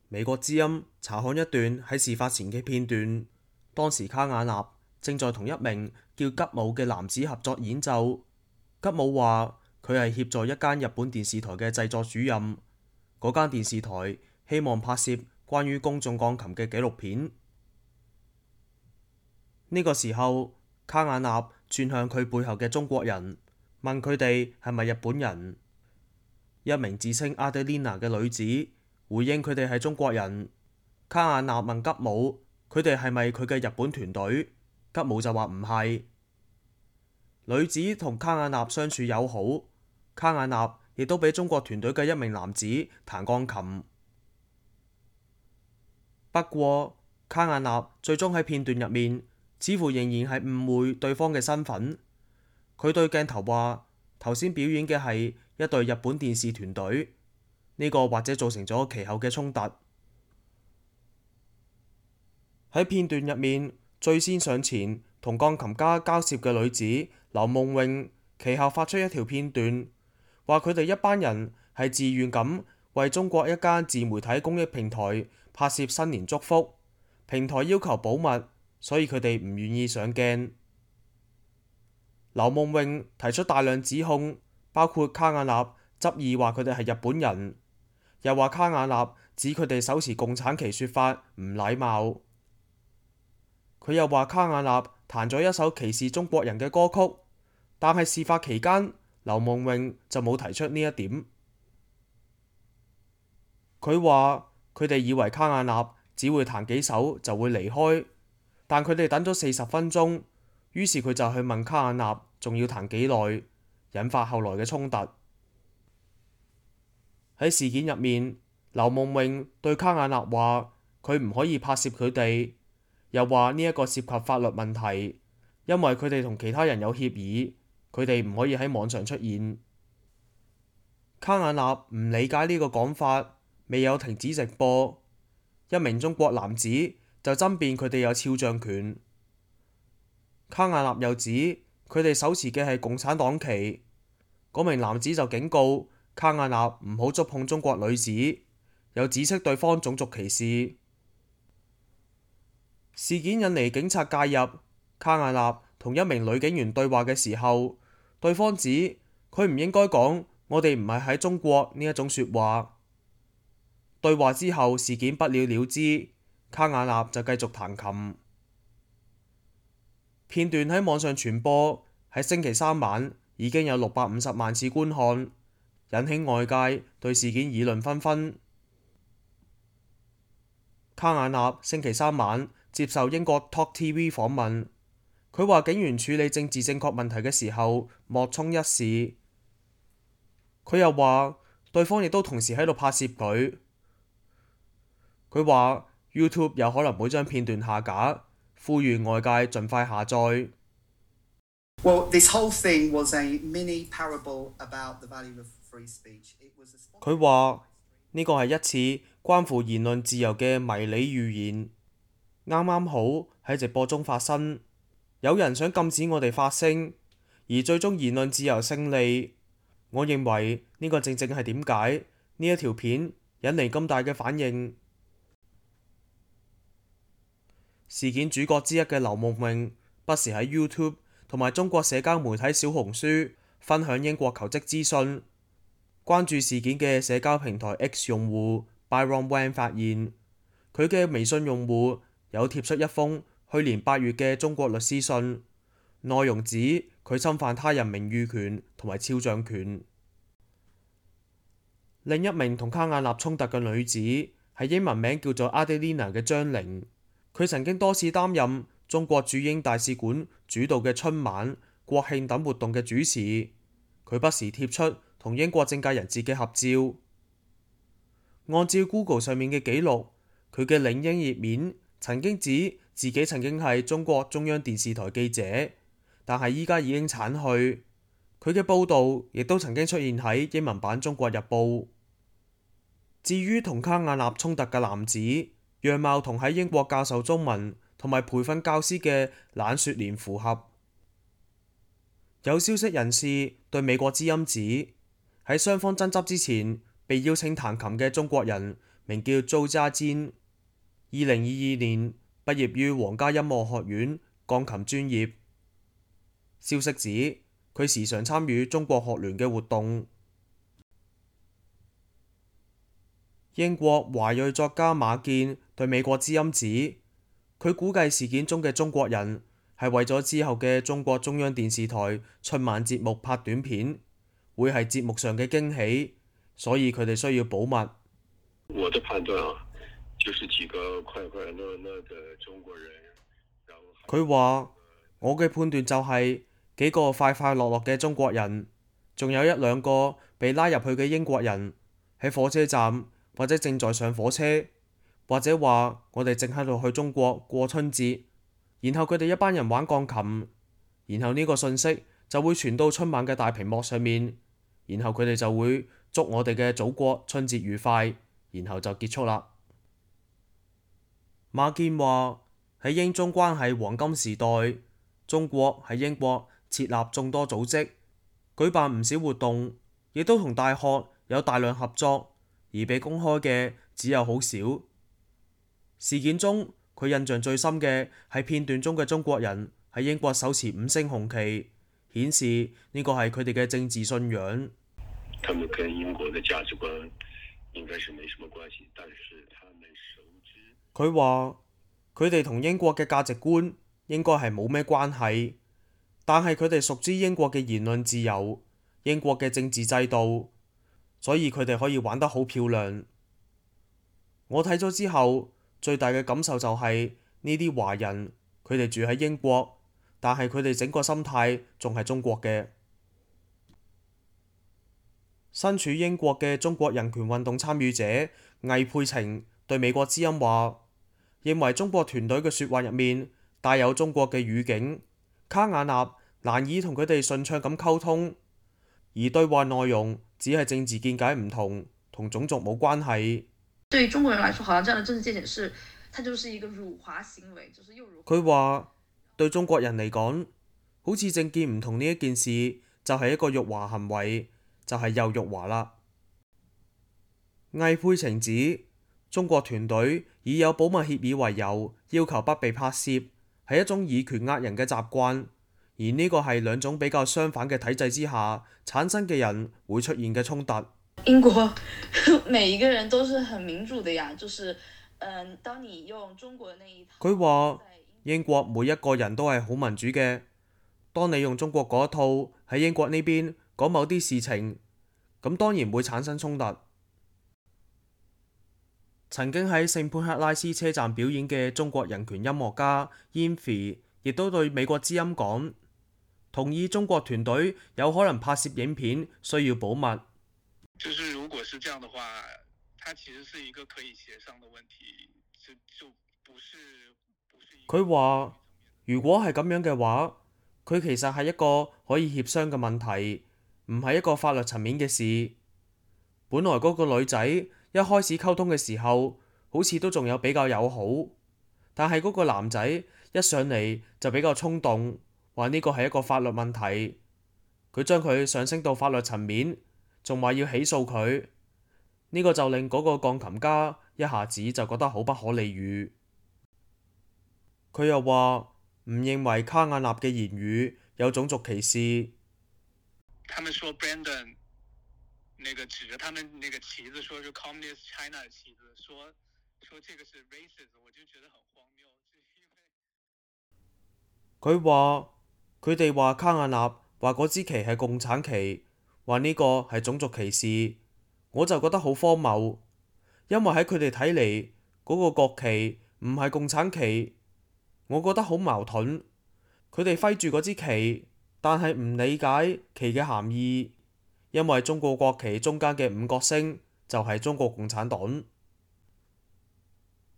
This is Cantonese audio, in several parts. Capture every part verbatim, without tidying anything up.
美國之音查看一段喺事發前嘅片段，當時卡瓦納正在同一名叫吉姆嘅男子合作演奏。吉姆話佢係協助一間日本電視台嘅製作主任，嗰間電視台希望拍攝關於公眾鋼琴嘅紀錄片。呢個時候，卡瓦納轉向佢背後嘅中國人，問佢哋係咪日本人。一名自稱阿德蓮娜嘅女子回應佢哋係中國人。卡瓦納問吉姆佢哋係咪佢嘅日本團隊，吉姆就話唔係。女子同卡瓦納相處友好，卡瓦納亦都俾中國團隊嘅一名男子彈鋼琴。不過卡瓦納最終喺片段入面似乎仍然係誤會對方嘅身份。佢對鏡頭話頭先表演嘅係一隊日本電視團隊，呢個或者造成咗其後嘅衝突。喺片段入面最先上前同鋼琴家交涉嘅女子劉夢穎，其後發出一條片段，話佢哋一班人係自願咁為中國一間自媒體公益平台拍攝新年祝福，平台要求保密，所以佢哋唔願意上鏡。劉夢穎提出大量指控，包括卡瓦納執意話佢哋係日本人，又話卡瓦納指佢哋手持共產旗說法唔禮貌。佢又話卡瓦納彈咗一首歧視中國人嘅歌曲，但係事發期間劉夢穎就冇提出呢一點。佢話佢哋以為卡瓦納只會彈幾首就會離開，但佢哋等咗四十分鐘，於是佢就去問卡瓦納仲要彈幾耐，引發後來嘅衝突。喺事件入面，劉夢穎對卡瓦納話佢唔可以拍攝佢哋，又話呢一個涉及法律問題，因為佢哋同其他人有協議，佢哋唔可以喺網上出現。卡瓦納唔理解呢個講法，未有停止直播。一名中國男子就爭辯佢哋有肖像權。卡瓦納又指佢哋手持嘅係共產黨旗。嗰名男子就警告卡瓦納唔好觸碰中國女子，又指斥對方種族歧視。事件引嚟警察介入，卡瓦納同一名女警員對話嘅時候，對方指佢唔應該講我哋唔係喺中國呢一種說話。對話之後，事件不了了之，卡瓦納就繼續彈琴。片段喺網上傳播，喺星期三晚已經有六百五十萬次觀看，引起外界對事件議論紛紛。卡瓦納星期三晚接受英國 Talk T V 訪問，佢話警員處理政治正確問題嘅時候莫衷一是。佢又話對方亦都同時喺度拍攝佢。佢話 YouTube 有可能會將片段下架，呼籲外界盡快下載。Well, this whole thing was a mini parable about the value of free speech. It was a... 佢話呢個係一次關乎言論自由嘅迷你預言，啱啱好喺直播中發生。有人想禁止我哋發聲，而最終言論自由勝利。我認為呢個正正係點解呢一條片引嚟咁大嘅反應。事件主角之一嘅劉夢穎不時喺 YouTube 同埋中國社交媒體小紅書分享英國求職資訊。關注事件嘅社交平台 X 用戶 Byron Wang 發現，佢嘅微信用戶有貼出一封去年八月嘅中國律師信，內容指佢侵犯他人名譽權同埋肖像權。另一名同卡瓦納衝突嘅女子係英文名叫做阿德蓮娜嘅張玲。佢曾經多次擔任中國駐英大使館主導嘅春晚、國慶等活動嘅主持。佢不時貼出同英國政界人士嘅合照。按照 Google 上面嘅記錄，佢嘅領英頁面曾經指自己曾經係中國中央電視台記者，但係依家已經剷去。佢嘅報導亦都曾經出現喺英文版《中國日報》。至於同卡瓦納衝突嘅男子，樣貌同喺英國教授中文同埋培訓教師嘅懶雪蓮符合。有消息人士對美國之音指，喺雙方爭執之前，被邀請彈琴嘅中國人名叫周家堅，二零二二年畢業於皇家音樂學院鋼琴專業。消息指佢時常參與中國學聯嘅活動。英國華裔作家馬建對美國之音指，佢估計事件中嘅中國人係為咗之後嘅中國中央電視台春晚節目拍短片，會係節目上嘅驚喜，所以佢哋需要保密。我的判斷啊，就是幾個快快樂樂的中國人。佢話：我嘅判斷就係幾個快快樂樂嘅中國人，仲有一兩個被拉入去嘅英國人喺火車站，或者正在上火車，或者話我哋正喺度去中國過春節，然後佢哋一班人玩鋼琴，然後呢個信息就會傳到春晚嘅大屏幕上面，然後佢哋就會祝我哋嘅祖國春節愉快，然後就結束啦。馬建話喺英中關係黃金時代，中國喺英國設立眾多組織，舉辦唔少活動，亦都同大學有大量合作。而被公開嘅只有好少。事件中，佢印象最深嘅係片段中嘅中國人喺英國手持五星紅旗，顯示呢個係佢哋嘅政治信仰。他們跟英國嘅價值觀應該是沒什麼關係，但是他們熟知。佢話佢哋同英國嘅價值觀應該係冇咩關係，但係佢哋熟知英國嘅言論自由、英國嘅政治制度。所以佢哋可以玩得好漂亮。我睇咗之後，最大嘅感受就係呢啲華人，佢哋住喺英國，但係佢哋整個心態仲係中國嘅。身處英國嘅中國人權運動參與者魏佩晴對美國之音話，認為中國團隊嘅説話入面帶有中國嘅語境，卡瓦納難以同佢哋順暢咁溝通，而對話內容只係政治見解唔同，同種族冇關係。對於中國人來說，好像這樣的政治見解是，它就是一個辱華行為，就是又辱華。佢話對中國人嚟講，好似政見唔同呢一件事，就係一個辱華行為，就係又辱華啦。魏佩晴指中國團隊以有保密協議為由，要求不被拍攝，係一種以權壓人嘅習慣。而呢個係兩種比較相反嘅體制之下產生嘅人會出現嘅衝突。英國每一個人都是很民主的呀，就是，嗯，當你用中國那一套。佢話英國每一個人都係好民主嘅，當你用中國嗰一套喺英國呢邊講某啲事情，咁當然會產生衝突。曾經喺聖潘克拉斯車站表演嘅中國人權音樂家 Yinfi 亦都對美國之音講，同意中國團隊有可能拍攝影片需要保密。就是如果是這樣的話，它其實是一個可以協商的問題，就就不是不是。佢話如果係咁樣嘅話，佢其實係一個可以協商嘅問題，唔係一個法律層面嘅事。本來嗰個女仔一開始溝通嘅時候，好似都仲有比較友好，但係嗰個男仔一上嚟就比較衝動。話呢個係一個法律問題，佢將佢上升到法律層面，仲話要起訴佢，呢個就令嗰個鋼琴家一下子就覺得好不可理喻。佢又話唔認為卡瓦納嘅言語有種族歧視。他們說 Brandon 那個指着他們那個旗子，說是 Communist China 的旗子，說說這個是 racist， 我就覺得很荒謬。佢話佢哋話卡瓦納話嗰支旗係共產旗，話呢個係種族歧視，我就覺得好荒謬，因為喺佢哋睇嚟嗰個國旗唔係共產旗，我覺得好矛盾。佢哋揮住嗰支旗，但係唔理解旗嘅含義，因為中國國旗中間嘅五角星就係中國共產黨。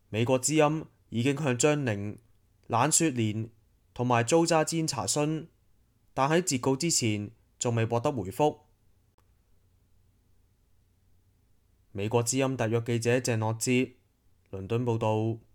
美國之音已經向張寧、冷雪蓮同埋租渣堅查詢，但喺截稿之前仲未獲得回覆。美國之音特約記者鄭樂哲，倫敦報導。